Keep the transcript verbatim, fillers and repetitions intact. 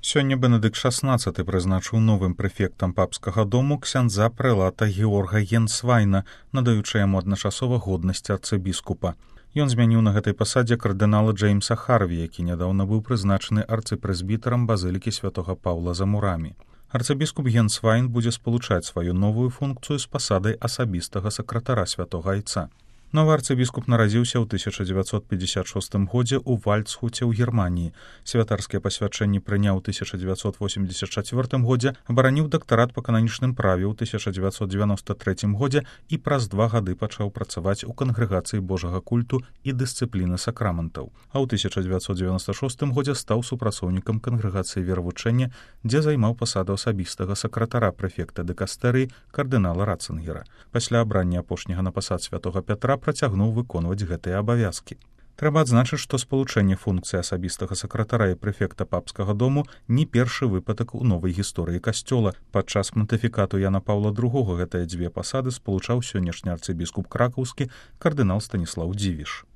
Сёння Бенедыкт шаснаццаты прызначыў новым прэфектам папскага дому ксяндза прэлата Георга Генсвайна, надаючы яму адначасова годнасць арцыбіскупа. Ён змяніў на гэтай пасадзе кардынала Джеймса Харві, які нядаўна быў прызначаны арцыпрэзбітарам базылікі святога Паўла за мурамі. Арцыбіскуп Генсвайн будзе спалучаць сваю новую функцыю з пасадай асабістага сакратара святога айца. Новы арцыбіскуп нарадзіўся ў тысяча дзевяцьсот пятьдесят шостым годзе ў Вальцхуце ў Германіі. Святарскія пасвячэнні прыняў у тысяча дзевяцьсот восемьдесят чацвёртым годзе, абараніў дактарат па кананічным праве ў тысяча дзевяцьсот девяносто третьем годзе і праз два гады пачаў працаваць у кангрэгацыі Божага культу і дысцыпліны сакраментаў. А ў тысяча дзевяцьсот девяносто шостым годзе стаў супрацоўнікам кангрэгацыі веравучэння, дзе займаў пасаду асабістага сакратара прэфекта дыкастэрыі кардынала Ратцынгера. Пасля абрання апошняга на пасад святога Пятра працягнуў выконваць гэтыя абавязкі. Трэба адзначыць, што спалучэнне функцыі асабістага сакратара і прэфекта папскага дому не першы выпадак у новай гісторыі касцёла. Падчас пантыфікату Яна Паўла другога гэтыя дзве пасады спалучаў сённяшні арцыбіскуп кракаўскі кардынал Станіслаў Дзівіш.